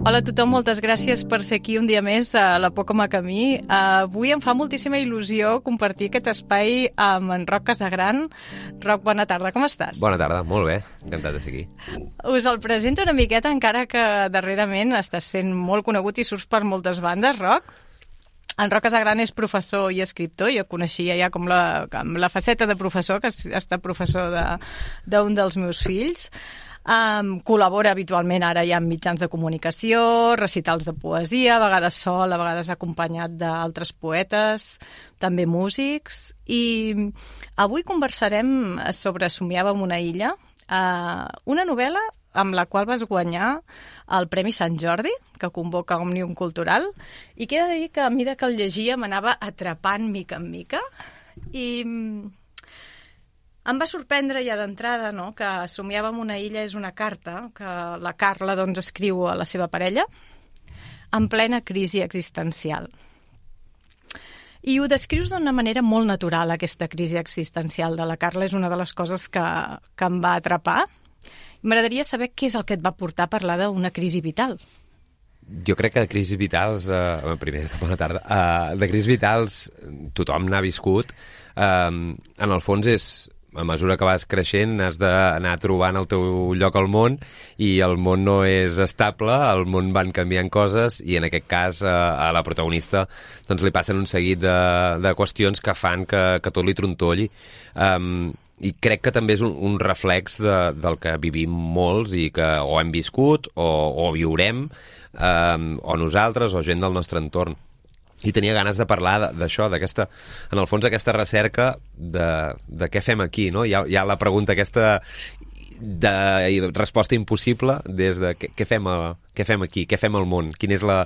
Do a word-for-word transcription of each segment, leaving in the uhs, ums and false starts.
Hola a tothom, moltes gràcies per ser aquí un dia més a La Por com a camí. Avui em fa moltíssima il·lusió compartir aquest espai amb en Roc Casagran. Roc, bona tarda, com estàs? Bona tarda, molt bé, encantat de ser aquí. Us el presento una miqueta, encara que darrerament estàs sent molt conegut i surts per moltes bandes, Roc. En Roc Casagran és professor i escriptor, jo coneixia ja com la, com la faceta de professor, que ha estat professor d'un de, dels meus fills. Um, col·labora habitualment ara ja amb mitjans de comunicació, recitals de poesia, a vegades sol, a vegades acompanyat d'altres poetes, també músics, i avui conversarem sobre Somiàvem una illa, uh, una novel·la amb la qual vas guanyar el Premi Sant Jordi, que convoca Òmnium Cultural, i que he de dir que a mesura que el llegia m'anava atrapant mica en mica, i em va sorprendre ja d'entrada, no?, que Somiàvem una illa és una carta que la Carla doncs, escriu a la seva parella en plena crisi existencial. I ho descrius d'una manera molt natural, aquesta crisi existencial de la Carla. És una de les coses que, que em va atrapar. M'agradaria saber què és el que et va portar a parlar d'una crisi vital. Jo crec que de crisis vitals, eh, primer, bona tarda, eh, de crisis vitals tothom n'ha viscut. Eh, en el fons és, a mesura que vas creixent, has d'anar trobant el teu lloc al món, i el món no és estable, el món van canviant coses, i en aquest cas a, a la protagonista doncs, li passen un seguit de, de qüestions que fan que, que tot li trontolli. Um, I crec que també és un, un reflex de, del que vivim molts i que o hem viscut o, o viurem, um, o nosaltres o gent del nostre entorn. I tenia ganes de parlar d'això, d'aquesta, en el fons, aquesta recerca de, de què fem aquí, no? Hi ha, hi ha la pregunta aquesta de resposta impossible des de què, què, fem, a, què fem aquí, què fem al món, quina és la,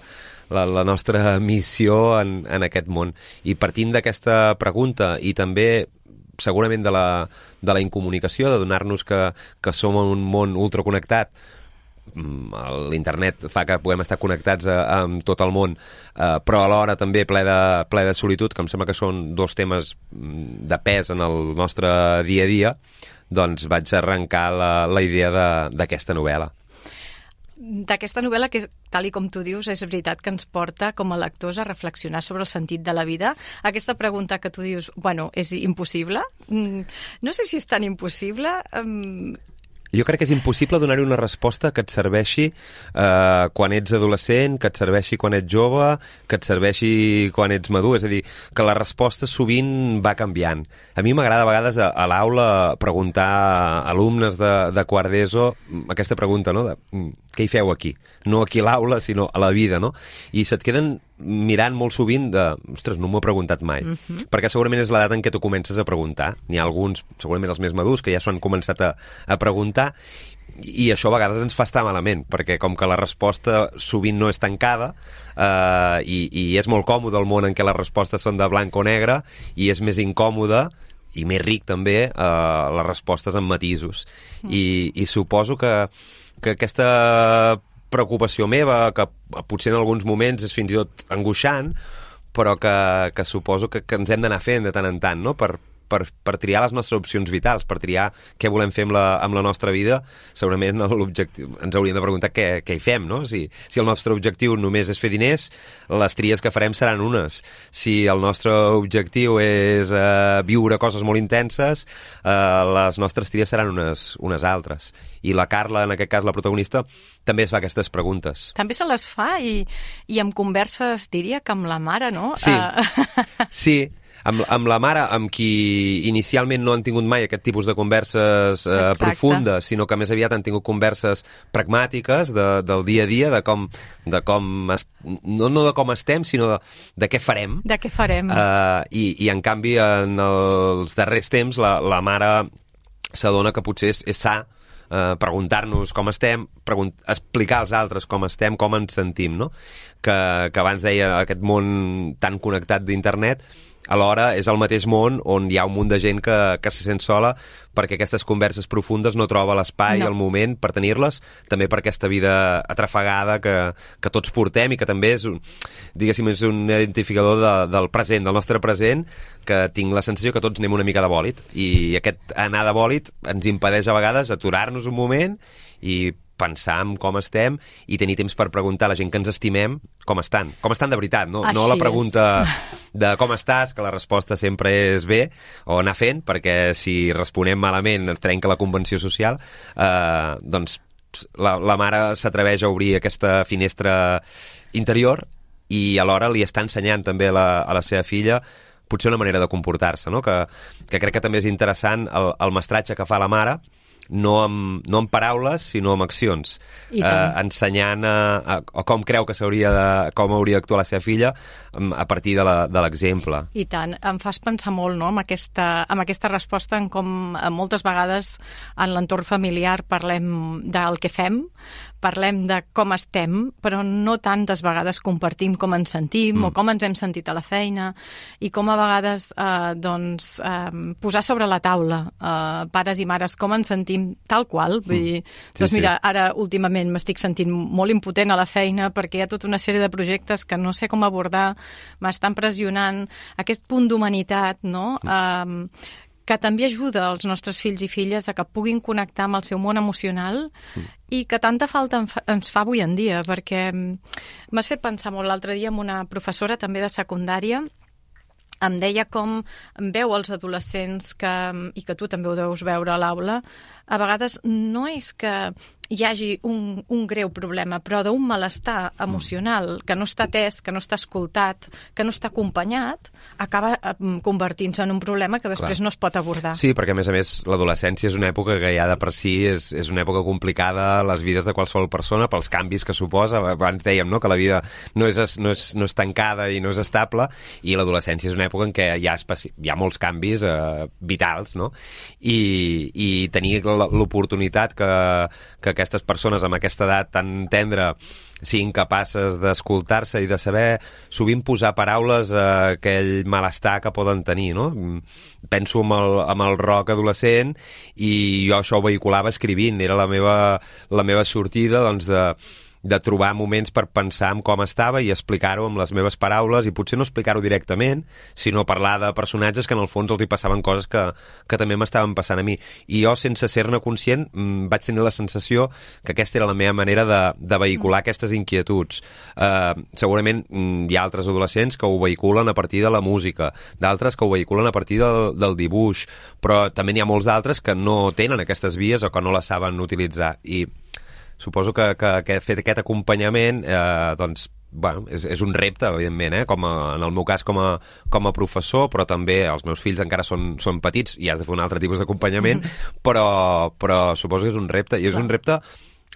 la, la nostra missió en, en aquest món. I partint d'aquesta pregunta i també segurament de la, de la incomunicació, de donar-nos que, que som en un món ultraconnectat, l'internet fa que puguem estar connectats a, a, amb tot el món, eh, però alhora també ple de, ple de solitud, que em sembla que són dos temes de pes en el nostre dia a dia, doncs vaig arrencar la, la idea d'aquesta novel·la. D'aquesta novel·la que, tal i com tu dius, és veritat que ens porta com a lectors a reflexionar sobre el sentit de la vida. Aquesta pregunta que tu dius, bueno, és impossible? No sé si és tan impossible. Um... Jo crec que és impossible donar-hi una resposta que et serveixi eh, quan ets adolescent, que et serveixi quan ets jove, que et serveixi quan ets madur. És a dir, que la resposta sovint va canviant. A mi m'agrada a vegades a, a l'aula preguntar a alumnes de, de quart d'ESO aquesta pregunta, no?, de què hi feu aquí? No aquí a l'aula, sinó a la vida, no? I se't queden mirant molt sovint de, ostres, no m'ho he preguntat mai. Uh-huh. Perquè segurament és l'edat en què tu comences a preguntar. N'hi ha alguns, segurament els més madurs, que ja s'ho han començat a, a preguntar, i això a vegades ens fa estar malament, perquè com que la resposta sovint no és tancada, eh, i, i és molt còmode el món en què les respostes són de blanc o negre, i és més incòmode i més ric també eh, les respostes amb matisos. Uh-huh. I, i suposo que, que aquesta preocupació meva, que potser en alguns moments és fins i tot angoixant, però que, que suposo que, que ens hem d'anar fent de tant en tant, no?, per, per, per triar les nostres opcions vitals, per triar què volem fer amb la, amb la nostra vida. Segurament l'objectiu, ens hauríem de preguntar què, què hi fem, no? Si, si el nostre objectiu només és fer diners, les tries que farem seran unes. Si el nostre objectiu és eh, viure coses molt intenses, eh, les nostres tries seran unes, unes altres. I la Carla, en aquest cas la protagonista, també es fa aquestes preguntes. També se les fa i, i amb converses, diria que amb la mare, no? Sí, uh... sí. Amb, amb la mare, amb qui inicialment no han tingut mai aquest tipus de converses eh, profundes, sinó que més aviat han tingut converses pragmàtiques de, del dia a dia, de com, de com est... no, no de com estem, sinó de, de què farem. De què farem. Uh, i, I en canvi, en els darrers temps, la, la mare s'adona que potser és, és sa Uh, preguntar-nos com estem, pregunt explicar als altres com estem, com ens sentim, no? Que, que abans deia aquest món tan connectat d'internet, alhora és el mateix món on hi ha un munt de gent que, que se sent sola perquè aquestes converses profundes no troba l'espai, no. el moment per tenir-les, també per aquesta vida atrafegada que, que tots portem i que també és, un, diguéssim, és un identificador de, del present, del nostre present, que tinc la sensació que tots anem una mica de bòlit, i aquest anar de bòlit ens impedeix a vegades aturar-nos un moment i pensar en com estem i tenir temps per preguntar a la gent que ens estimem com estan. Com estan de veritat, no, no la pregunta de com estàs, que la resposta sempre és bé, o anar fent, perquè si responem malament ens trenca la convenció social, eh, doncs la, la mare s'atreveix a obrir aquesta finestra interior i alhora li està ensenyant també a la, a la seva filla potser una manera de comportar-se, no? que, que crec que també és interessant el, el mestratge que fa la mare, no amb, no amb paraules, sinó amb accions, eh, ensenyant a, a, a com creu que s'hauria de, com hauria d'actuar la seva filla a partir de l'exemple. I tant, em fas pensar molt, no?, amb aquesta, amb aquesta resposta en com moltes vegades en l'entorn familiar parlem del que fem, parlem de com estem, però no tantes vegades compartim com ens sentim mm. o com ens hem sentit a la feina, i com a vegades eh, doncs, eh, posar sobre la taula, eh, pares i mares, com ens sentim tal qual. Vull dir, mm. doncs sí, mira, sí. Ara últimament m'estic sentint molt impotent a la feina perquè hi ha tota una sèrie de projectes que no sé com abordar, m'estan pressionant, aquest punt d'humanitat, no?, mm. eh, que també ajuda els nostres fills i filles a que puguin connectar amb el seu món emocional mm. i que tanta falta ens fa avui en dia, perquè m'has fet pensar molt l'altre dia amb una professora també de secundària, em deia com veu els adolescents que, i que tu també ho deus veure a l'aula, a vegades no és que hi hagi un, un greu problema, però d'un malestar emocional que no està atès, que no està escoltat, que no està acompanyat, acaba convertint-se en un problema que després Clar. no es pot abordar. Sí, perquè a més a més l'adolescència és una època que ja de per si és, és una època complicada a les vides de qualsevol persona pels canvis que suposa. Abans dèiem, no?, que la vida no és, no és, no és tancada i no és estable, i l'adolescència és una època en què hi ha, especi... hi ha molts canvis eh, vitals, no? I, i tenir l'oportunitat que, que aquestes persones amb aquesta edat tan tendra siguin capaces d'escoltar-se i de saber sovint posar paraules a aquell malestar que poden tenir, no? Penso en el, en el rock adolescent i jo això ho vehiculava escrivint, era la meva, la meva sortida, doncs, de de trobar moments per pensar en com estava i explicar-ho amb les meves paraules, i potser no explicar-ho directament, sinó parlar de personatges que en el fons els hi passaven coses que, que també m'estaven passant a mi. I jo, sense ser-ne conscient, mmm, vaig tenir la sensació que aquesta era la meva manera de, de vehicular mm. aquestes inquietuds. Uh, segurament mmm, hi ha altres adolescents que ho vehiculen a partir de la música, d'altres que ho vehiculen a partir del, del dibuix, però també n'hi ha molts d'altres que no tenen aquestes vies o que no les saben utilitzar. I suposo que, que, que fer aquest acompanyament eh, doncs, bueno, és, és un repte, evidentment, eh? Com a, en el meu cas com a, com a professor, però també els meus fills encara són, són petits i has de fer un altre tipus d'acompanyament, mm. però, però suposo que és un repte, i és Clar. un repte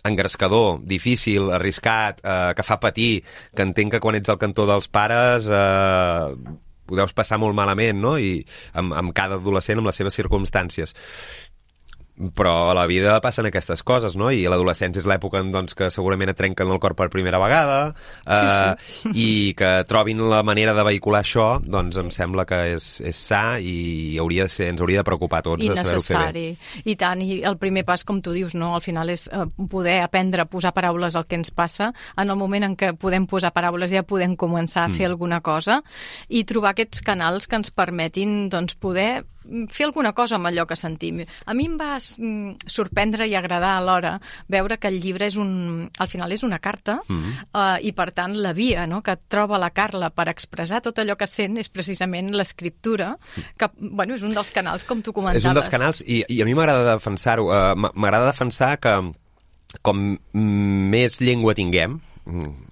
engrescador, difícil, arriscat, eh, que fa patir, que entenc que quan ets al cantó dels pares eh, ho deus passar molt malament, no? I amb, amb cada adolescent, amb les seves circumstàncies. Però a la vida passen aquestes coses, no? I l'adolescència és l'època en doncs, que segurament et trenquen el cor per primera vegada, eh, sí, sí. i que trobin la manera de vehicular això, doncs sí. em sembla que és, és sa i hauria de ser, ens hauria de preocupar a tots I de saber-ho fer bé. I tant, i el primer pas, com tu dius, no? Al final és eh, poder aprendre a posar paraules al que ens passa. En el moment en què podem posar paraules ja podem començar a fer mm. alguna cosa i trobar aquests canals que ens permetin doncs, poder fer alguna cosa amb allò que sentim. A mi em va sorprendre i agradar alhora veure que el llibre és un, al final és una carta mm-hmm. uh, i per tant la via, no?, que troba la Carla per expressar tot allò que sent és precisament l'escriptura, que bueno, és un dels canals, com tu comentaves. És un dels canals i, i a mi m'agrada defensar-ho. Uh, m'agrada defensar que com més llengua tinguem,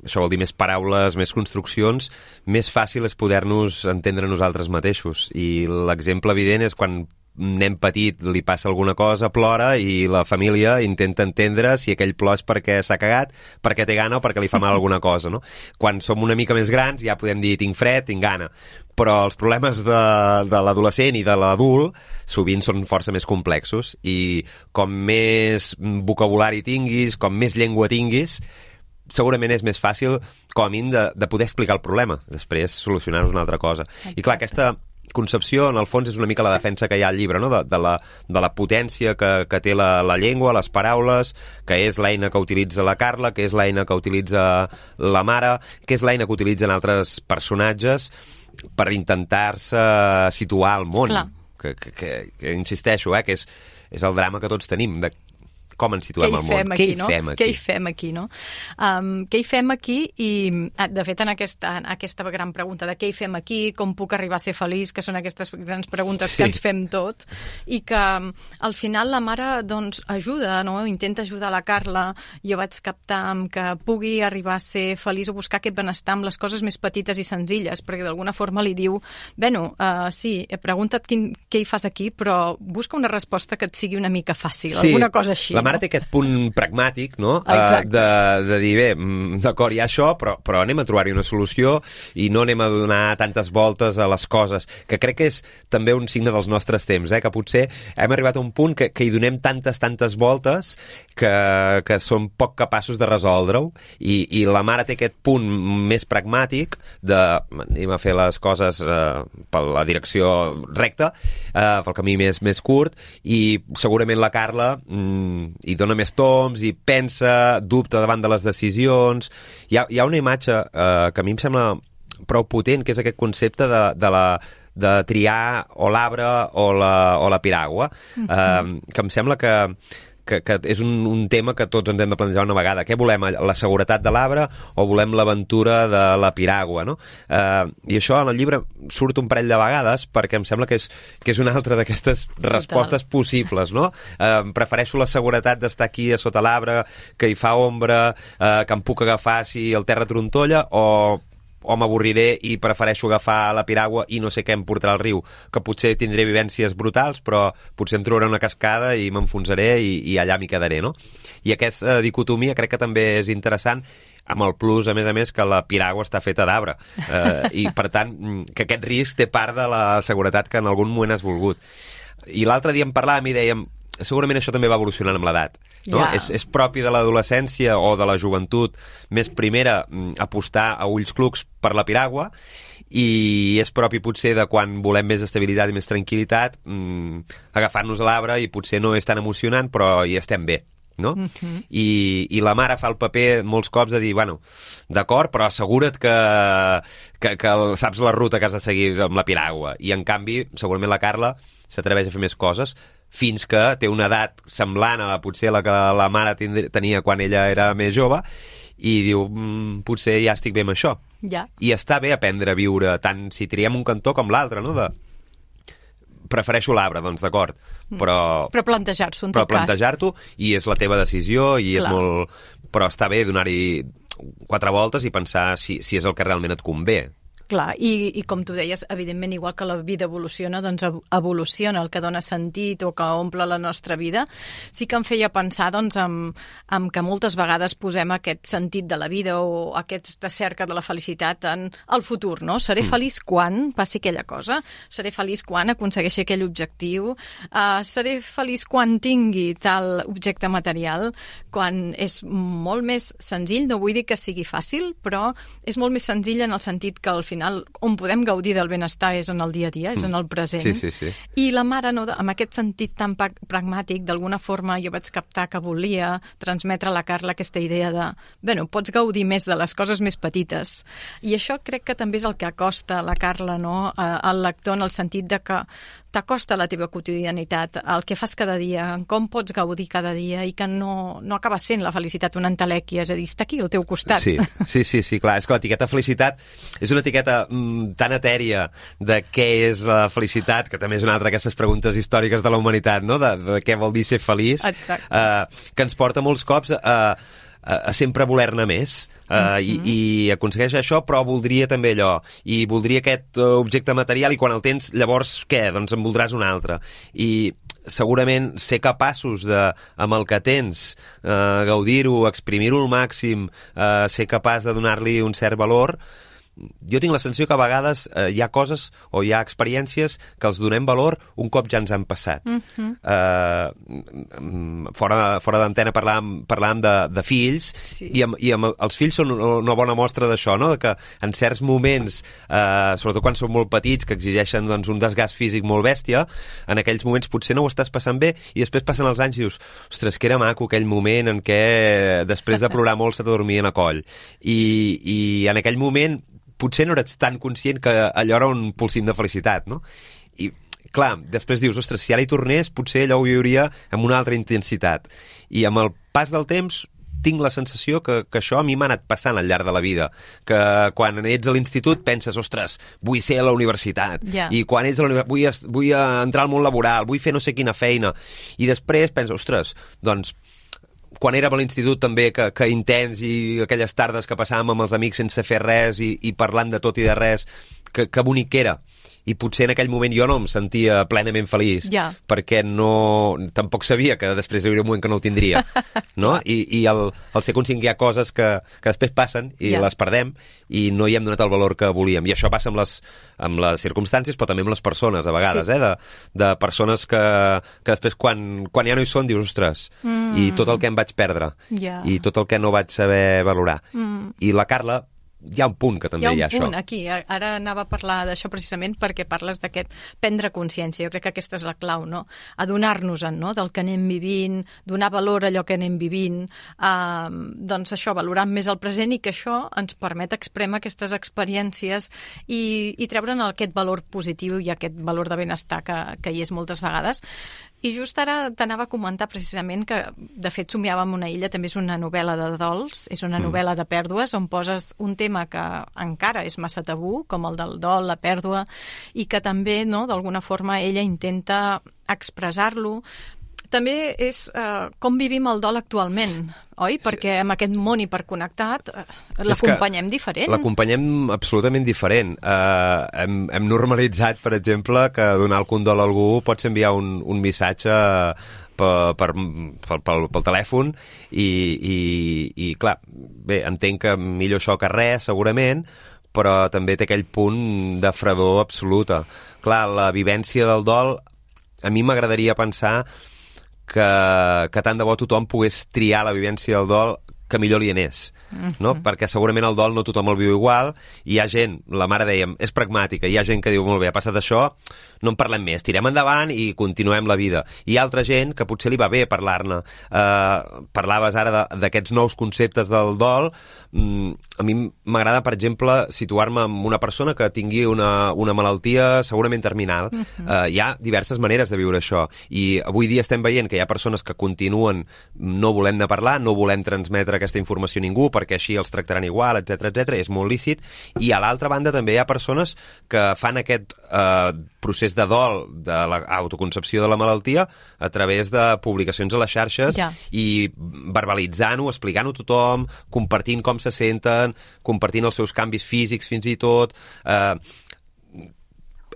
això vol dir més paraules, més construccions, més fàcil és poder-nos entendre nosaltres mateixos. I l'exemple evident és quan un nen petit li passa alguna cosa, plora, i la família intenta entendre si aquell plor és perquè s'ha cagat, perquè té gana o perquè li fa mal alguna cosa, no? Quan som una mica més grans ja podem dir tinc fred, tinc gana. Però els problemes de, de l'adolescent i de l'adult sovint són força més complexos, i com més vocabulari tinguis, com més llengua tinguis, segurament és més fàcil, com a mínim, de, de poder explicar el problema, després solucionar-nos una altra cosa. Exacte. I clar, aquesta concepció, en el fons, és una mica la defensa que hi ha al llibre, no? de, de, la, de la potència que, que té la, la llengua, les paraules, que és l'eina que utilitza la Carla, que és l'eina que utilitza la mare, que és l'eina que utilitzen altres personatges per intentar-se situar al món. Que, que, que, que insisteixo, eh, que és, és el drama que tots tenim, de com ens situem al món? Aquí, Què hi no? fem aquí? Què hi fem aquí, no? Um, què hi fem aquí? I, de fet, en aquesta, en aquesta gran pregunta de què hi fem aquí, com puc arribar a ser feliç, que són aquestes grans preguntes sí. que ens fem tots, i que al final la mare doncs, ajuda, no? Intenta ajudar la Carla. Jo vaig captar que pugui arribar a ser feliç o buscar aquest benestar amb les coses més petites i senzilles, perquè d'alguna forma li diu, bueno, uh, sí, he preguntat quin, què hi fas aquí, però busca una resposta que et sigui una mica fàcil, sí, alguna cosa així. La mare no? té aquest punt pragmàtic, no? Uh, de, de dir, bé, d'acord, hi ha això, però, però anem a trobar-hi una solució i no anem a donar tantes voltes a les coses, que crec que és també un signe dels nostres temps, eh? Que potser hem arribat a un punt que, que hi donem tantes, tantes voltes que, que som poc capaços de resoldre-ho, i, i la mare té aquest punt més pragmàtic de anem a fer les coses eh, per la direcció recta, eh, pel camí més, més curt, i segurament la Carla mm, hi dona més toms, i pensa, dubta davant de les decisions. Hi ha, hi ha una imatge eh, que a mi em sembla prou potent, que és aquest concepte de, de la de triar o l'arbre o la, o la piragua, uh-huh. eh, que em sembla que que, que és un, un tema que tots ens hem de plantejar una vegada. Què volem? La seguretat de l'arbre o volem l'aventura de la piragua, no? Eh, I això en el llibre surt un parell de vegades perquè em sembla que és, que és una altra d'aquestes respostes possibles, no? Eh, prefereixo la seguretat d'estar aquí a sota l'arbre, que hi fa ombra, eh, que em puc agafar si el terra trontolla, o o m'avorriré i prefereixo agafar la piragua i no sé què em portarà al riu, que potser tindré vivències brutals, però potser em trobaré una cascada i m'enfonsaré i, i allà m'hi quedaré, no? I aquesta dicotomia crec que també és interessant, amb el plus, a més a més, que la piragua està feta d'arbre. Eh, I, per tant, que aquest risc té part de la seguretat que en algun moment has volgut. I l'altre dia en parlàvem i dèiem, segurament això també va evolucionant amb l'edat, no? Yeah. És, és propi de l'adolescència o de la joventut més primera apostar a ulls clucs per la piragua, i és propi potser de quan volem més estabilitat i més tranquil·litat mmm, agafar-nos a l'arbre, i potser no és tan emocionant, però hi estem bé, no? Uh-huh. I, i la mare fa el paper molts cops de dir, bueno, d'acord, però assegura't que, que, que saps la ruta que has de seguir amb la piragua. I en canvi, segurament la Carla s'atreveix a fer més coses, fins que té una edat semblant a la, potser la que la mare tenia quan ella era més jove, i diu, mm, potser ja estic bé amb això. Ja. I està bé aprendre a viure, tant si triem un cantó com l'altre, no? De... prefereixo l'arbre, doncs d'acord, però... Però plantejar-s'ho, en però tot cas. plantejar-t'ho, i és la teva decisió, i Clar. és molt... Però està bé donar-hi quatre voltes i pensar si, si és el que realment et convé. Clar, i, i com tu deies, evidentment, igual que la vida evoluciona, doncs evoluciona el que dona sentit o que omple la nostra vida. Sí que em feia pensar doncs, en, en que moltes vegades posem aquest sentit de la vida o aquesta cerca de la felicitat en el futur, no? Seré mm. feliç quan passi aquella cosa, seré feliç quan aconsegueixi aquell objectiu, uh, seré feliç quan tingui tal objecte material, quan és molt més senzill, no vull dir que sigui fàcil, però és molt més senzill en el sentit que al final on podem gaudir del benestar és en el dia a dia, és en el present. Sí, sí, sí. I la mare, no, amb aquest sentit tan pragmàtic, d'alguna forma jo vaig captar que volia transmetre a la Carla aquesta idea de, bueno, pots gaudir més de les coses més petites. I això crec que també és el que acosta la Carla, no?, al lector, en el sentit de que t'acosta la teva quotidianitat, el que fas cada dia, com pots gaudir cada dia, i que no, no acaba sent la felicitat una entelèquia, és a dir, està aquí al teu costat. Sí, sí, sí, sí, clar, és que l'etiqueta felicitat és una etiqueta mm, tan etèria de què és la felicitat, que també és una altra d'aquestes preguntes històriques de la humanitat, no?, de, de què vol dir ser feliç, eh, que ens porta molts cops a, a, a sempre voler-ne més. Uh, uh-huh. i, i aconsegueix això, però voldria també allò, i voldria aquest uh, objecte material, i quan el tens, llavors què? Doncs en voldràs un altre. I segurament ser capaços de, amb el que tens, uh, gaudir-ho, exprimir-ho al màxim, uh, ser capaç de donar-li un cert valor. Jo tinc la sensació que a vegades eh, hi ha coses o hi ha experiències que els donem valor un cop ja ens han passat. Uh-huh. Eh, fora fora d'antena parlàvem, parlàvem de, de fills, sí. i, amb, i amb els fills són una bona mostra d'això, no?, de que en certs moments, eh, sobretot quan són molt petits, que exigeixen doncs, un desgast físic molt bèstia, en aquells moments potser no ho estàs passant bé, i després passen els anys i dius, ostres, que era maco aquell moment en què després de plorar molt se t'adormien a coll. I, i en aquell moment potser no eres tan conscient que allò era un pulsim de felicitat, no? I, clar, després dius, ostres, si ara hi tornés, potser allò ho viuria amb una altra intensitat. I amb el pas del temps tinc la sensació que, que això a mi m'ha anat passant al llarg de la vida, que quan ets a l'institut penses, ostres, vull ser a la universitat, yeah. i quan ets a la universitat vull, vull entrar al món laboral, vull fer no sé quina feina, i després penses, ostres, doncs, quan érem a l'institut també, que, que intens, i aquelles tardes que passàvem amb els amics sense fer res i, i parlant de tot i de res, que, que bonic era. I potser en aquell moment jo no em sentia plenament feliç, ja. perquè no, tampoc sabia que després hi hauria un moment que no ho tindria, no? I, i el, el ser conscient que hi ha coses que, que després passen i ja. les perdem i no hi hem donat el valor que volíem. I això passa amb les, amb les circumstàncies, però també amb les persones, a vegades, sí. eh? De, de persones que, que després, quan, quan ja no hi són, dius, ostres, mm. i tot el que em vaig perdre, ja. i tot el que no vaig saber valorar. Mm. I la Carla, hi ha un punt que també hi ha, hi ha això. Hi ha un punt aquí. Ara anava a parlar d'això precisament perquè parles d'aquest prendre consciència. Jo crec que aquesta és la clau, no? Adonar-nos-en, no? Del que anem vivint, donar valor a allò que anem vivint, eh, doncs això, valorar més el present, i que això ens permet exprémer aquestes experiències i, i treure'n aquest valor positiu i aquest valor de benestar que, que hi és moltes vegades. I just ara t'anava a comentar precisament que, de fet, Somiàvem una illa també és una novel·la de dols, és una mm. novel·la de pèrdues on poses un tema que encara és massa tabú, com el del dol, la pèrdua, i que també, no, d'alguna forma, ella intenta expressar-lo. També és eh, com vivim el dol actualment, oi? Perquè amb aquest món hiperconnectat eh, l'acompanyem diferent. L'acompanyem absolutament diferent. Eh, hem, hem normalitzat, per exemple, que donar el condol a algú pots enviar un, un missatge per, per, per, pel, pel telèfon i, i, i, clar, bé, entenc que millor això que res, segurament, però també té aquell punt de fredor absoluta. Clar, la vivència del dol, a mi m'agradaria pensar que, que tant de bo tothom pogués triar la vivència del dol que millor li anés, no? Mm-hmm. Perquè segurament el dol no tothom el viu igual, i hi ha gent, la mare dèiem, és pragmàtica, hi ha gent que diu, molt bé, ha passat això, no en parlem més, tirem endavant i continuem la vida. I hi ha altra gent que potser li va bé parlar-ne. Uh, parlaves ara d'aquests nous conceptes del dol. Mm, a mi m'agrada, per exemple, situar-me amb una persona que tingui una, una malaltia segurament terminal. Mm-hmm. Uh, hi ha diverses maneres de viure això, i avui dia estem veient que hi ha persones que continuen no volent-ne parlar, no volent transmetre aquesta informació a ningú, perquè així els tractaran igual, etcètera, etcètera. És molt lícit. I a l'altra banda també hi ha persones que fan aquest eh, procés de dol, de l'autoconcepció de la malaltia, a través de publicacions a les xarxes, ja. I verbalitzant-ho, explicant-ho a tothom, compartint com se senten, compartint els seus canvis físics fins i tot. Eh,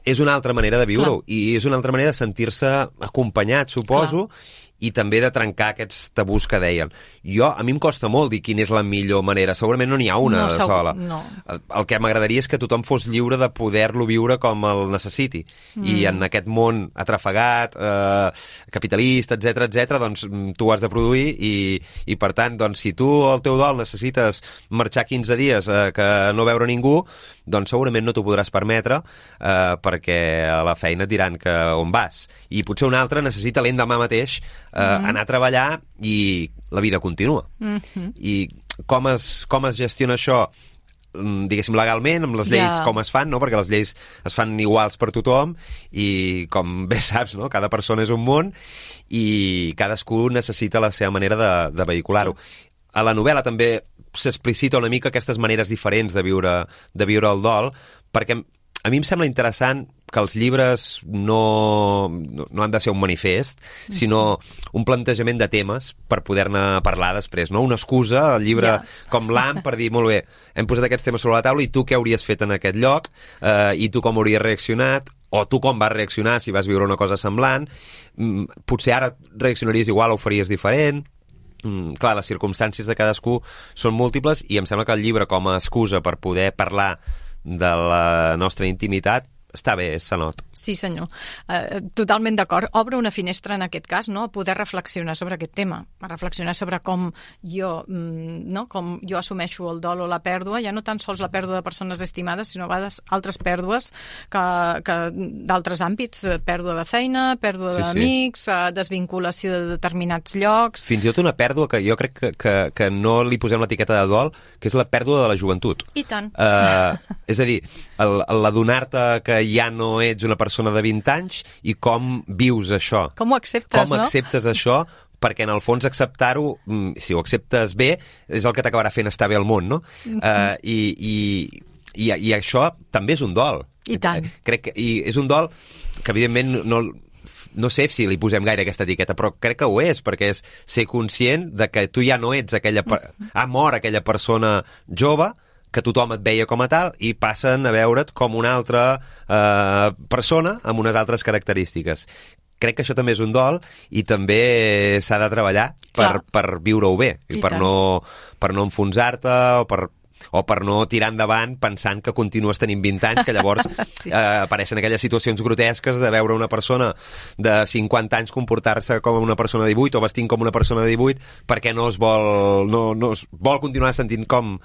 és una altra manera de viure-ho, i és una altra manera de sentir-se acompanyat, suposo. Clar. I també de trencar aquests tabús que deien. Jo, a mi em costa molt dir quina és la millor manera. Segurament no n'hi ha una no, sola. No. El, el que m'agradaria és que tothom fos lliure de poder-lo viure com el necessiti. Mm. I en aquest món atrafegat, eh, capitalista, etcètera, etcètera, doncs tu has de produir i, i per tant, doncs, si tu al teu dol necessites marxar quinze dies eh, que no veure ningú, doncs segurament no t'ho podràs permetre eh, perquè a la feina et diran que on vas. I potser un altre necessita l'endemà mateix Uh, mm-hmm. anar a treballar i la vida continua. Mm-hmm. I com es, com es gestiona això, diguéssim, legalment, amb les lleis yeah. com es fan, no? Perquè les lleis es fan iguals per tothom i, com bé saps, no? Cada persona és un món i cadascú necessita la seva manera de, de vehicular-ho. A la novel·la també s'explicita una mica aquestes maneres diferents de viure, de viure el dol, perquè a mi em sembla interessant que els llibres no, no, no han de ser un manifest, sinó un plantejament de temes per poder-ne parlar després, no? Una excusa, el llibre yeah. com l'Am, per dir, molt bé, hem posat aquests temes sobre la taula i tu què hauries fet en aquest lloc, eh, i tu com hauries reaccionat, o tu com vas reaccionar si vas viure una cosa semblant, mm, potser ara reaccionaries igual o ho faries diferent. Mm, clar, les circumstàncies de cadascú són múltiples i em sembla que el llibre com a excusa per poder parlar de la nostra intimitat està bé, Sanot. Sí, senyor. Uh, totalment d'acord. Obre una finestra en aquest cas, no?, a poder reflexionar sobre aquest tema, a reflexionar sobre com jo, no?, com jo assumeixo el dol o la pèrdua, ja no tan sols la pèrdua de persones estimades, sinó a vegades altres pèrdues que, que d'altres àmbits, pèrdua de feina, pèrdua sí, d'amics, sí. desvinculació de determinats llocs... Fins i tot una pèrdua que jo crec que, que, que no li posem l'etiqueta de dol, que és la pèrdua de la joventut. I tant. Uh, és a dir, l'adonar-te que ja no ets una persona de vint anys i com vius això. Com ho acceptes, com no? acceptes això, perquè en el fons acceptar-ho, si ho acceptes bé, és el que t'acabarà fent estar bé al món, no? Mm-hmm. uh, i, i, i, I això també és un dol. I tant. Crec que, I és un dol que, evidentment, no, no sé si li posem gaire aquesta etiqueta, però crec que ho és, perquè és ser conscient de que tu ja no ets aquella... Mm-hmm. Ha mort aquella persona jove, que tothom et veia com a tal, i passen a veure't com una altra eh, persona amb unes altres característiques. Crec que això també és un dol i també s'ha de treballar per, per viure-ho bé, i, I per, no, per no enfonsar-te o per... o per no tirar endavant pensant que continues tenint vint anys, que llavors sí. eh, apareixen aquelles situacions grotesques de veure una persona de cinquanta anys comportar-se com una persona de divuit o vestint com una persona de divuit perquè no es vol, no, no es vol continuar sentint com,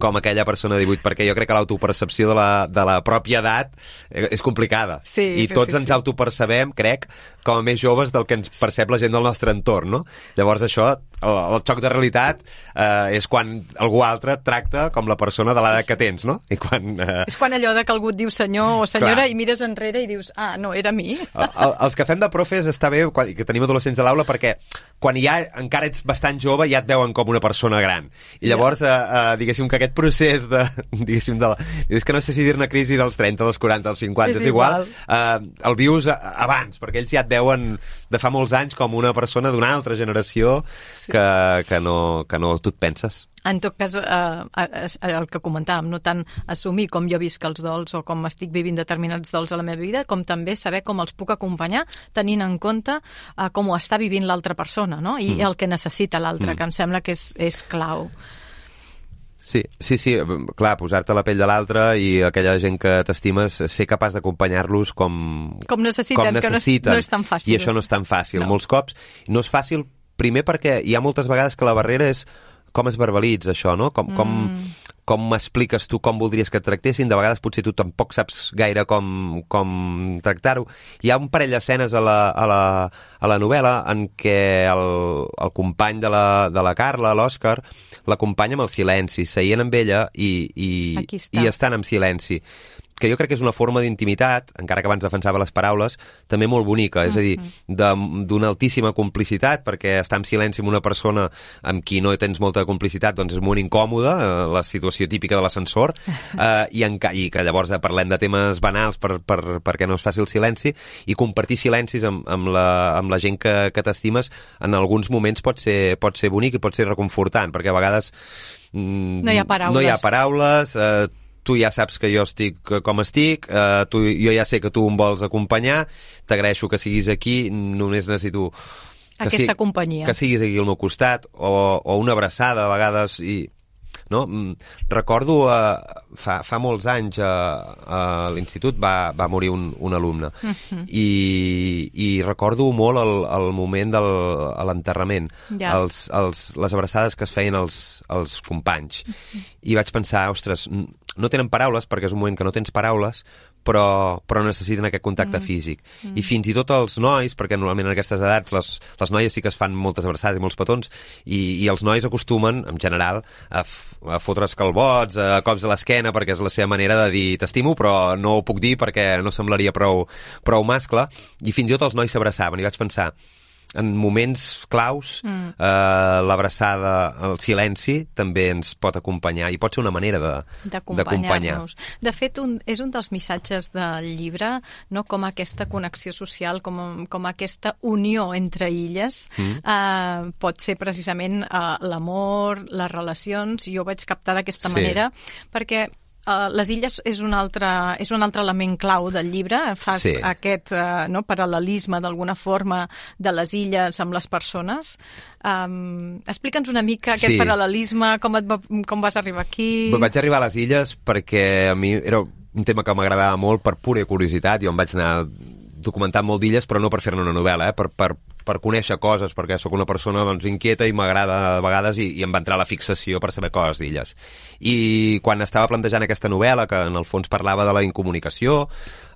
com aquella persona de divuit, perquè jo crec que l'autopercepció de la, de la pròpia edat és complicada. Sí, I sí, tots sí, ens sí. autopercebem, crec, com a més joves del que ens percep la gent del nostre entorn, no? Llavors això, el, el xoc de realitat eh, és quan algú altre et tracta com la persona de l'edat sí, sí. que tens, no? I quan, eh... És quan allò de que algú et diu senyor o senyora Clar. I mires enrere i dius, ah, no, era mi. El, el, els que fem de profes està bé quan, que tenim adolescents a l'aula perquè quan ja encara ets bastant jove ja et veuen com una persona gran. I llavors, eh, eh, diguéssim que aquest procés de... diguéssim, de la, és que no sé si dir-ne crisi dels trenta, dels quaranta, dels cinquanta, és, és igual, igual eh, el vius abans, perquè ells ja et veuen de fa molts anys com una persona d'una altra generació sí. que, que, no, que no tu et penses. En tot cas, eh, el que comentàvem, no tant assumir com jo visc els dols o com estic vivint determinats dols a la meva vida, com també saber com els puc acompanyar tenint en compte eh, com ho està vivint l'altra persona, no? I mm. el que necessita l'altre, mm. que em sembla que és, és clau. Sí, sí, sí, clar, posar-te a la pell de l'altre i aquella gent que t'estimes, ser capaç d'acompanyar-los com, com necessiten, com necessiten. Que no és, no és tan fàcil. I això no és tan fàcil. No. Molts cops no és fàcil, primer perquè hi ha moltes vegades que la barrera és com es verbalitza això, no? Com, com, mm. com m'expliques tu com voldries que et tractessin, de vegades potser tu tampoc saps gaire com, com tractar-ho. Hi ha un parell d'escenes a la, a, la, a la novel·la en què el, el company de la, de la Carla, l'Òscar, l'acompanya amb el silenci, seient amb ella i, i, i estan en silenci, que jo crec que és una forma d'intimitat, encara que abans defensava les paraules, també molt bonica, és a dir, d'una altíssima complicitat, perquè estar en silenci amb una persona amb qui no tens molta complicitat, doncs és molt incòmode, eh, la situació típica de l'ascensor, eh, i, en, i que llavors eh, parlem de temes banals per, per, perquè no es faci el silenci, i compartir silencis amb, amb, la, amb la gent que, que t'estimes en alguns moments pot ser, pot ser bonic i pot ser reconfortant, perquè a vegades mm, no hi ha paraules, no hi ha paraules eh, tu ja saps que jo estic com estic, eh, tu, jo ja sé que tu em vols acompanyar, t'agraeixo que siguis aquí, només necessito que aquesta si, companyia. Que siguis aquí al meu costat, o, o una abraçada a vegades, i no? Recordo eh, fa, fa molts anys eh, a l'institut va, va morir un, un alumne uh-huh. I, i recordo molt el, el moment de l'enterrament, ja. els, els, les abraçades que es feien els, els companys uh-huh. I vaig pensar, ostres, no tenen paraules perquè és un moment que no tens paraules, però, però necessiten aquest contacte mm. físic. Mm. I fins i tot els nois, perquè normalment en aquestes edats les, les noies sí que es fan moltes abraçades i molts petons, i, i els nois acostumen, en general, a, f, a fotre's calbots, a cops a l'esquena, perquè és la seva manera de dir t'estimo, però no ho puc dir perquè no semblaria prou, prou mascle, i fins i tot els nois s'abraçaven, i vaig pensar, en moments claus, mm. eh, l'abraçada, el silenci, també ens pot acompanyar, i pot ser una manera de, d'acompanyar. De fet, un, és un dels missatges del llibre, no? Com aquesta connexió social, com, com aquesta unió entre illes, mm. eh, pot ser precisament eh, l'amor, les relacions, jo ho vaig captar d'aquesta sí. manera, perquè Uh, les illes és un, altre, és un altre element clau del llibre, fas sí. aquest uh, no, paral·lelisme d'alguna forma de les illes amb les persones. Um, explica'ns una mica sí. aquest paral·lelisme, com, et va, com vas arribar aquí... Vaig arribar a les illes perquè a mi era un tema que m'agradava molt per pura curiositat, jo em vaig anar documentant molt d'illes, però no per fer-ne una novel·la, eh? per, per per conèixer coses, perquè sóc una persona doncs, inquieta i m'agrada a vegades i, i em va entrar la fixació per saber coses d'illes. I quan estava plantejant aquesta novel·la, que en el fons parlava de la incomunicació,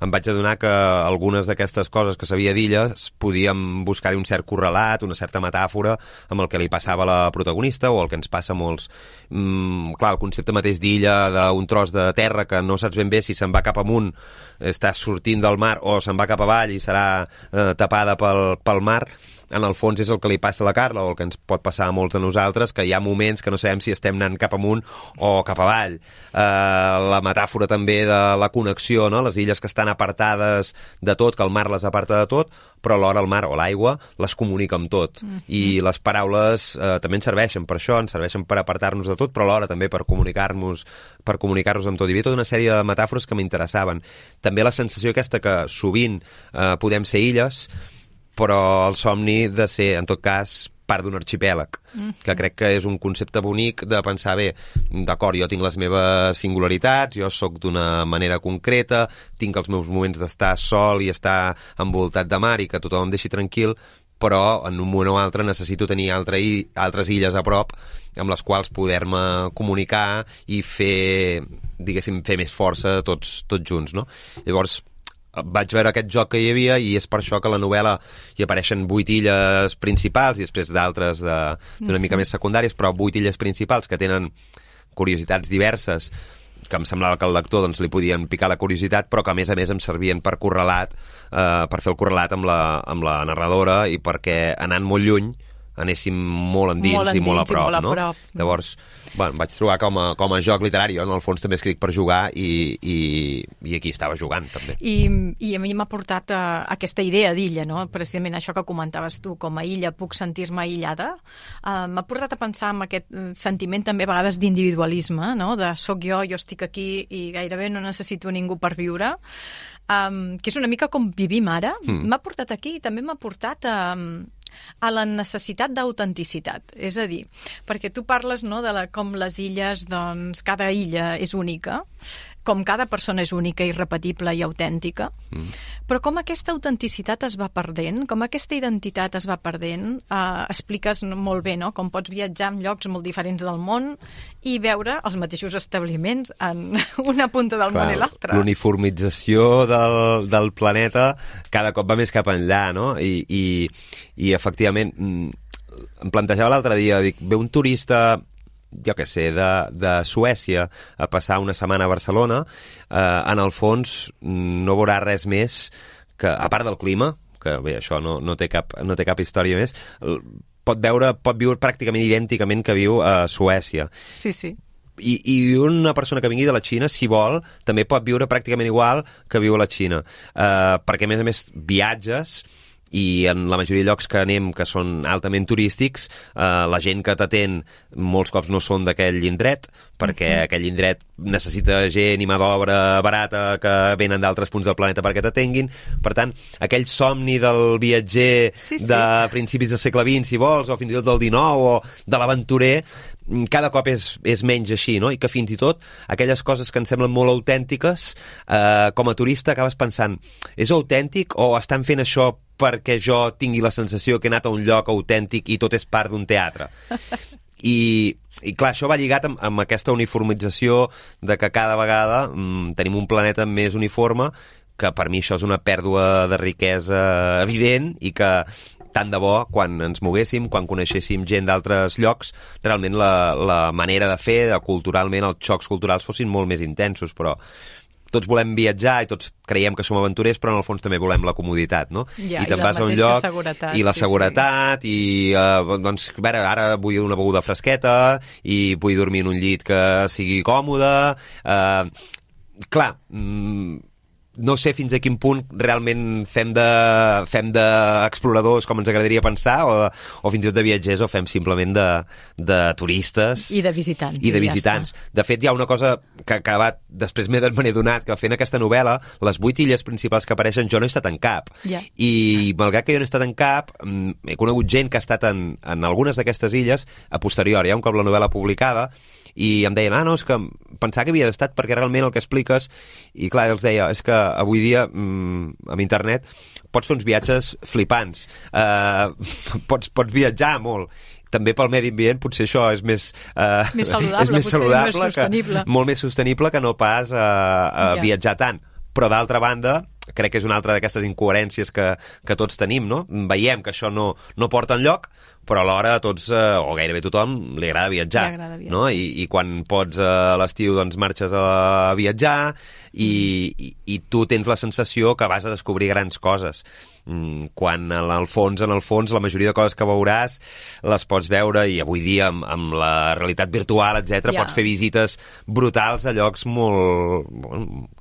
em vaig adonar que algunes d'aquestes coses que sabia d'illes podíem buscar-hi un cert correlat, una certa metàfora amb el que li passava a la protagonista o el que ens passa a molts. Mm, clar, el concepte mateix d'illa, d'un tros de terra que no saps ben bé si se'n va cap amunt, està sortint del mar, o se'n va cap avall i serà eh, tapada pel, pel mar, en el fons és el que li passa a la Carla o el que ens pot passar a molts de nosaltres, que hi ha moments que no sabem si estem anant cap amunt o cap avall. Eh, la metàfora també de la connexió, no? Les illes que estan apartades de tot, que el mar les aparta de tot, però alhora el mar o l'aigua les comunica amb tot. Mm-hmm. I les paraules eh, també ens serveixen per això, ens serveixen per apartar-nos de tot, però alhora també per comunicar-nos per comunicar-nos amb tot. Hi havia tota una sèrie de metàfores que m'interessaven. També la sensació aquesta que sovint eh, podem ser illes, però el somni de ser, en tot cas, part d'un arxipèlag, mm. que crec que és un concepte bonic de pensar, bé, d'acord, jo tinc les meves singularitats, jo sóc d'una manera concreta, tinc els meus moments d'estar sol i estar envoltat de mar i que tothom em deixi tranquil, però en un moment o altre necessito tenir altre, altres illes a prop amb les quals poder-me comunicar i fer, diguéssim, fer més força tots, tots junts, no? Llavors, vaig veure aquest joc que hi havia i és per això que a la novel·la hi apareixen vuit illes principals i després d'altres d'una de, mica més secundàries, però vuit illes principals que tenen curiositats diverses que em semblava que al lector doncs, li podien picar la curiositat, però que a més a més em servien per correlat, eh, per fer el correlat amb la, amb la narradora i perquè anant molt lluny anéssim molt endins, molt endins i molt a prop, molt a no? Prop. Llavors, bueno, vaig trobar com a, com a joc literari, jo en el fons també escric per jugar i, i, i aquí estava jugant també. I, i a mi m'ha portat a, a aquesta idea d'illa, no? Precisament això que comentaves tu, com a illa puc sentir-me aïllada, uh, m'ha portat a pensar en aquest sentiment també a vegades d'individualisme, no? De soc jo, jo estic aquí i gairebé no necessito ningú per viure, um, que és una mica com vivim ara. Mm. M'ha portat aquí i també m'ha portat a... a la necessitat d'autenticitat. És a dir, perquè tu parles, no, de la, com les illes, doncs, cada illa és única, com cada persona és única, irrepetible i autèntica, mm. però com aquesta autenticitat es va perdent, com aquesta identitat es va perdent, eh, expliques molt bé, no?, com pots viatjar en llocs molt diferents del món i veure els mateixos establiments en una punta del Clar, món i l'altra. L'uniformització del, del planeta cada cop va més cap enllà, no? I, i, i efectivament, em plantejava l'altre dia, dic, ve un turista jo què sé, de, de Suècia a passar una setmana a Barcelona, eh, en el fons no veurà res més que, a part del clima, que bé, això no, no, té cap, no té cap història més, pot veure, pot viure pràcticament idènticament que viu a Suècia. Sí, sí. I, i una persona que vingui de la Xina, si vol, també pot viure pràcticament igual que viu a la Xina. Eh, perquè, a més a més, viatges i en la majoria de llocs que anem, que són altament turístics, eh, la gent que t'atén molts cops no són d'aquell indret, perquè uh-huh. aquell indret necessita gent i mà d'obra barata que venen d'altres punts del planeta perquè t'atenguin. Per tant, aquell somni del viatger sí, sí. de principis del segle vint, si vols, o fins i tot del dinou, o de l'aventurer, cada cop és, és menys així, no? I que fins i tot aquelles coses que ens semblen molt autèntiques, eh, com a turista acabes pensant, és autèntic o estan fent això perquè jo tingui la sensació que he anat a un lloc autèntic i tot és part d'un teatre? I, i clar, això va lligat amb, amb aquesta uniformització de que cada vegada mm, tenim un planeta més uniforme, que per mi això és una pèrdua de riquesa evident i que tant de bo, quan ens moguéssim, quan coneixéssim gent d'altres llocs, realment la, la manera de fer, de culturalment, els xocs culturals fossin molt més intensos, però tots volem viatjar i tots creiem que som aventurers, però en el fons també volem la comoditat, no? Ja, I te'n i vas a un lloc seguretat, i la sí, seguretat sí. i uh, doncs, a veure, ara vull una beguda fresqueta i vull dormir en un llit que sigui còmode. Uh, clar, mm, no sé fins a quin punt realment fem de, fem d'exploradors com ens agradaria pensar, o, o fins i tot de viatgers, o fem simplement de, de turistes. I de visitants. I de visitants. Ja de fet, hi ha una cosa que ha acabat, després m'he adonat, que fent aquesta novel·la, les vuit illes principals que apareixen, jo no he estat en cap. Ja. I malgrat que jo no he estat en cap, he conegut gent que ha estat en, en algunes d'aquestes illes a posteriori, ja un cop la novel·la publicada, i em deien, ah, no, és que pensava que havia estat perquè realment el que expliques, i clar, els deia, és que avui dia, mm, amb internet, pots fer uns viatges flipants. Uh, pots, pots viatjar molt. També pel medi ambient potser això és més, uh, més saludable, és més saludable més sostenible. Que, molt més sostenible que no pas uh, uh, ja. viatjar tant. Però d'altra banda, crec que és una altra d'aquestes incoherències que, que tots tenim, no? Veiem que això no, no porta enlloc, però alhora a tots, eh, o gairebé a tothom, li agrada viatjar. Li agrada viatjar. No? I, I quan pots eh, a l'estiu doncs marxes a viatjar i, i, i tu tens la sensació que vas a descobrir grans coses. Mm, quan en el fons, en el fons, la majoria de coses que veuràs les pots veure, i avui dia amb, amb la realitat virtual, etcètera, ja. pots fer visites brutals a llocs molt...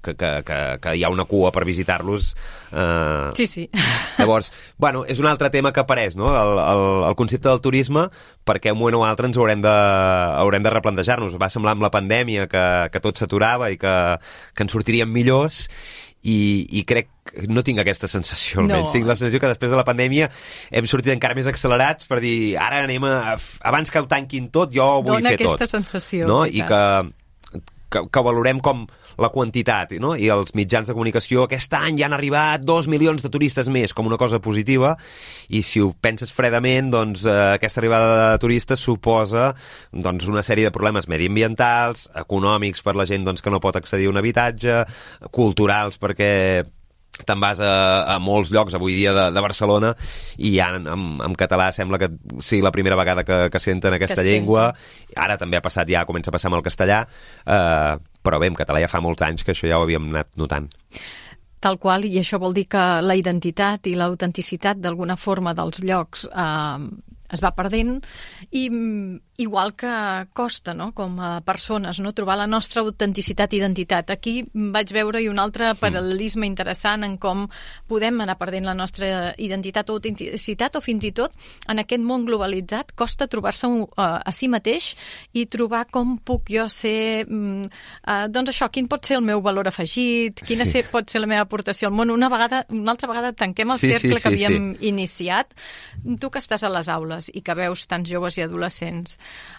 que, que, que, que hi ha una cua per visitar-los. Eh... Sí, sí. Llavors, bueno, és un altre tema que apareix, no? El, el, el concepte del turisme, perquè un moment o altre ens haurem de, haurem de replantejar-nos. Va semblar amb la pandèmia que, que tot s'aturava i que, que ens sortiríem millors, i, i crec que no tinc aquesta sensació, almenys. No. Tinc la sensació que després de la pandèmia hem sortit encara més accelerats per dir, ara anem a... Abans que ho tanquin tot, jo ho vull Dona fer tot. Dona aquesta sensació. No? I que, que, que valorem com la quantitat, no? I els mitjans de comunicació, aquest any ja han arribat dos milions de turistes més, com una cosa positiva, i si ho penses fredament, doncs eh, aquesta arribada de turistes suposa doncs, una sèrie de problemes mediambientals, econòmics per la gent doncs, que no pot accedir a un habitatge, culturals perquè te'n vas a, a molts llocs avui dia de, de Barcelona i ja en, en, en català sembla que sigui la primera vegada que, que senten aquesta que llengua. Sí. Ara també ha passat, ja comença a passar amb el castellà, eh, però bé, en català ja fa molts anys que això ja ho havíem anat notant. Tal qual, i això vol dir que la identitat i l'autenticitat d'alguna forma dels llocs eh, es va perdent, i igual que costa, no?, com a persones, no?, trobar la nostra autenticitat i identitat. Aquí vaig veure-hi un altre paral·lelisme interessant en com podem anar perdent la nostra identitat o autenticitat, o fins i tot en aquest món globalitzat costa trobar-se uh, a si mateix i trobar com puc jo ser, uh, doncs això, quin pot ser el meu valor afegit, quina sí. ser, pot ser la meva aportació al món. Una vegada, una altra vegada tanquem el sí, cercle sí, sí, que havíem sí. iniciat. Tu que estàs a les aules i que veus tants joves i adolescents,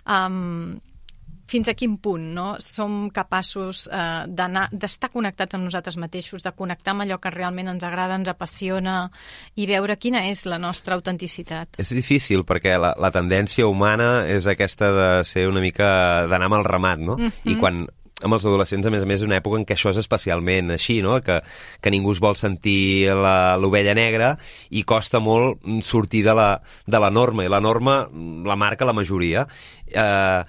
um, fins a quin punt, no?, som capaços uh, d'anar, d'estar connectats amb nosaltres mateixos, de connectar amb allò que realment ens agrada, ens apassiona, i veure quina és la nostra autenticitat. És difícil, perquè la, la tendència humana és aquesta de ser una mica d'anar amb el ramat, no? Mm-hmm. I quan amb els adolescents, a més a més, una època en què això és especialment així, no?, que, que ningú es vol sentir l'ovella negra i costa molt sortir de la, de la norma, i la norma la marca la majoria. Eh,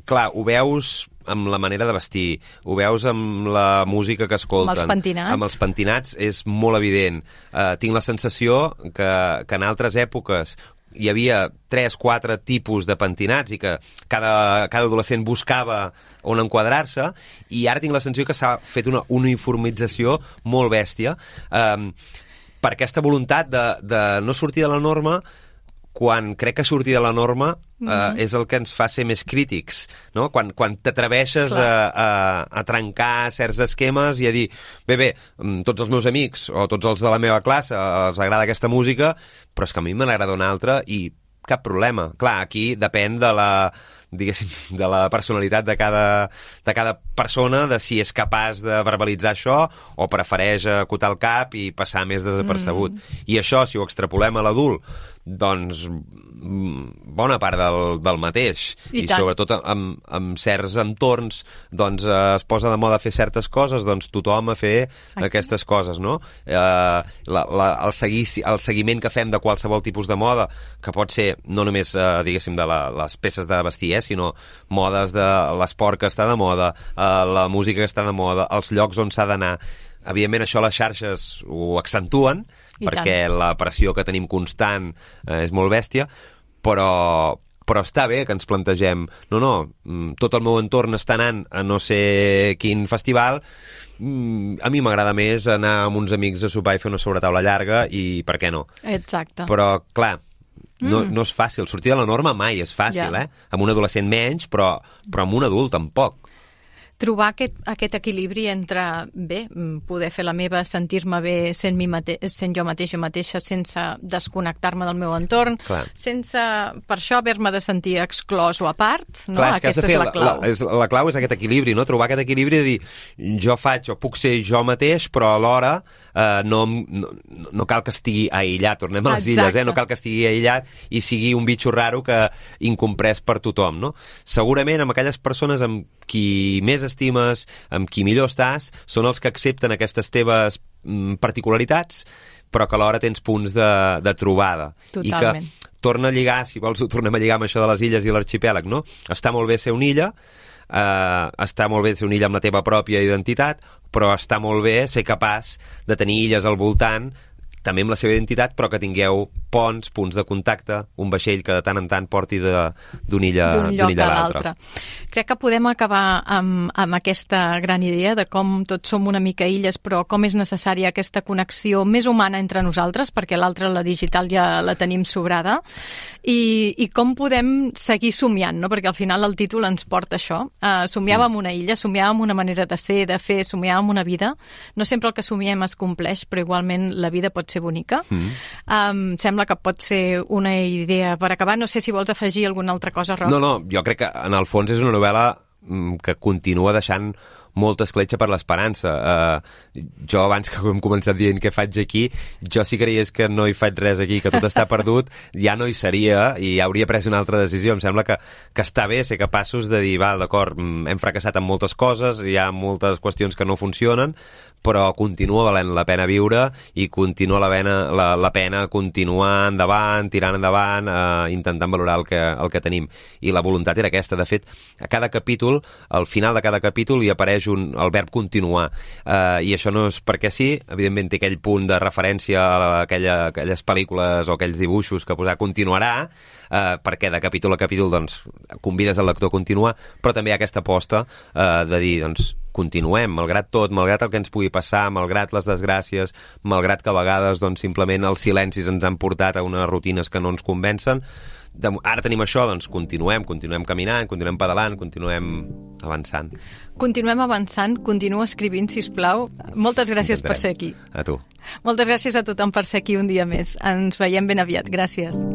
clar, ho veus amb la manera de vestir, ho veus amb la música que escolten. Amb els pentinats. Amb els pentinats és molt evident. Eh, tinc la sensació que, que en altres èpoques hi havia tres, quatre tipus de pentinats i que cada, cada adolescent buscava on enquadrar-se, i ara tinc la sensació que s'ha fet una uniformització molt bèstia eh, per aquesta voluntat de, de no sortir de la norma, quan crec que sortir de la norma eh, mm-hmm. és el que ens fa ser més crítics, no? Quan, quan t'atreveixes a, a, a trencar certs esquemes i a dir, bé, bé, tots els meus amics o tots els de la meva classe els agrada aquesta música, però és que a mi me n'agrada una altra i cap problema. Clar, aquí depèn de la, diguéssim, de la personalitat de cada, de cada persona, de si és capaç de verbalitzar això o prefereix acotar el cap i passar més desapercebut. Mm. I això, si ho extrapolem a l'adult, doncs bona part del, del mateix. I, I sobretot amb, amb certs entorns doncs eh, es posa de moda fer certes coses, doncs tothom a fer Aquí. aquestes coses, no? Eh, la, la, el, segui, el seguiment que fem de qualsevol tipus de moda, que pot ser no només, eh, diguéssim, de la, les peces de vestir, eh, sinó modes de l'esport que està de moda, eh, la música que està de moda, els llocs on s'ha d'anar. Evidentment això les xarxes ho accentuen, I perquè tant. la pressió que tenim constant eh, és molt bèstia, però, però està bé que ens plantegem, no, no, tot el meu entorn està anant a no sé quin festival, a mi m'agrada més anar amb uns amics a sopar i fer una sobretaula llarga, i per què no? Exacte. Però, clar, no, mm. no és fàcil. Sortir de la norma mai és fàcil, ja. eh? Amb un adolescent menys, però, però amb un adult tampoc. trobar aquest, aquest equilibri entre, bé, poder fer la meva, sentir-me bé sent, mi mate sent jo mateix o mateixa, sense desconnectar-me del meu entorn, Clar. sense, per això, haver-me de sentir exclòs o a part, no? Clar, és Aquesta és la clau. La, és, la clau és aquest equilibri, no? Trobar aquest equilibri de dir, jo faig o puc ser jo mateix, però alhora eh, no, no, no cal que estigui aïllat, tornem a les Exacte. illes, eh? No cal que estigui aïllat i sigui un bitxo raro que incomprès per tothom, no? Segurament amb aquelles persones amb qui més estimes, amb qui millor estàs, són els que accepten aquestes teves mm, particularitats, però que alhora tens punts de, de trobada. Totalment. I que torna a lligar, si vols ho tornem a lligar amb això de les illes i l'arxipèlag, no? Està molt bé ser una illa, eh, està molt bé ser una illa amb la teva pròpia identitat, però està molt bé ser capaç de tenir illes al voltant, també amb la seva identitat, però que tingueu ponts, punts de contacte, un vaixell que de tant en tant porti d'una illa, lloc illa a l'altre. l'altre. Crec que podem acabar amb, amb aquesta gran idea de com tots som una mica illes, però com és necessària aquesta connexió més humana entre nosaltres, perquè l'altra, la digital, ja la tenim sobrada, i, i com podem seguir somiant, no? Perquè al final el títol ens porta això. Uh, somiàvem una illa, somiàvem una manera de ser, de fer, somiàvem una vida. No sempre el que somiem es compleix, però igualment la vida pot ser bonica. Mm. Um, sembla que pot ser una idea per acabar. No sé si vols afegir alguna altra cosa, Roc. No, no, jo crec que en el fons és una novel·la que continua deixant molta escletxa per l'esperança. Uh, jo, abans que hem començat dient què faig aquí, jo si creies que no hi faig res aquí, que tot està perdut, ja no hi seria i ja hauria pres una altra decisió. Em sembla que, que està bé ser capaços de dir, val, d'acord, hem fracassat en moltes coses, hi ha moltes qüestions que no funcionen, però continua valent la pena viure i continua la pena, la, la pena continuar endavant, tirant endavant, eh, intentant valorar el que, el que tenim. I la voluntat era aquesta. De fet, a cada capítol, al final de cada capítol, hi apareix un, el verb continuar. Eh, I això no és perquè sí, evidentment té aquell punt de referència a aquella, aquelles pel·lícules o aquells dibuixos que posar continuarà, eh, perquè de capítol a capítol doncs, convides el lector a continuar, però també hi ha aquesta aposta eh, de dir, doncs, continuem, malgrat tot, malgrat el que ens pugui passar, malgrat les desgràcies, malgrat que a vegades doncs, simplement els silencis ens han portat a unes rutines que no ens convencen. De, ara tenim això, doncs continuem, continuem caminant, continuem pedalant, continuem avançant. Continuem avançant, continua escrivint, sisplau. Moltes gràcies Intentarem. per ser aquí. A tu. Moltes gràcies a tothom per ser aquí un dia més. Ens veiem ben aviat. Gràcies.